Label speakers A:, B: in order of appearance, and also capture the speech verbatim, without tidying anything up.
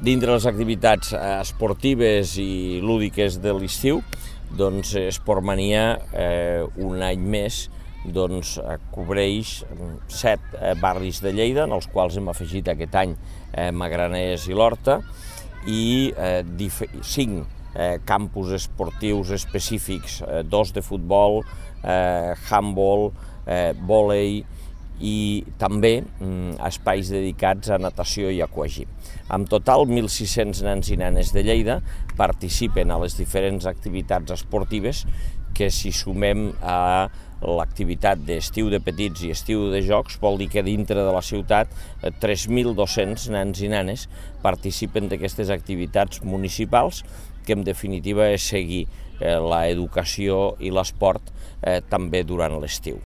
A: Dintre les activitats esportives i lúdiques de l'estiu, doncs Esportmania, eh, un any més, doncs, cobreix set eh, barris de Lleida, en els quals hem afegit aquest any eh, Magraners i l'Horta, i eh, cinc eh, campus esportius específics, eh, dos de futbol, eh, handball, eh, vòlei, i també mm, espais dedicats a natació i aquagym. En total, mil sis-cents nens i nenes de Lleida participen a les diferents activitats esportives que, si sumem a l'activitat d'estiu de petits i estiu de jocs, vol dir que dintre de la ciutat tres mil dos-cents nens i nenes participen d'aquestes activitats municipals, que en definitiva és seguir eh, l'educació i l'esport eh, també durant l'estiu.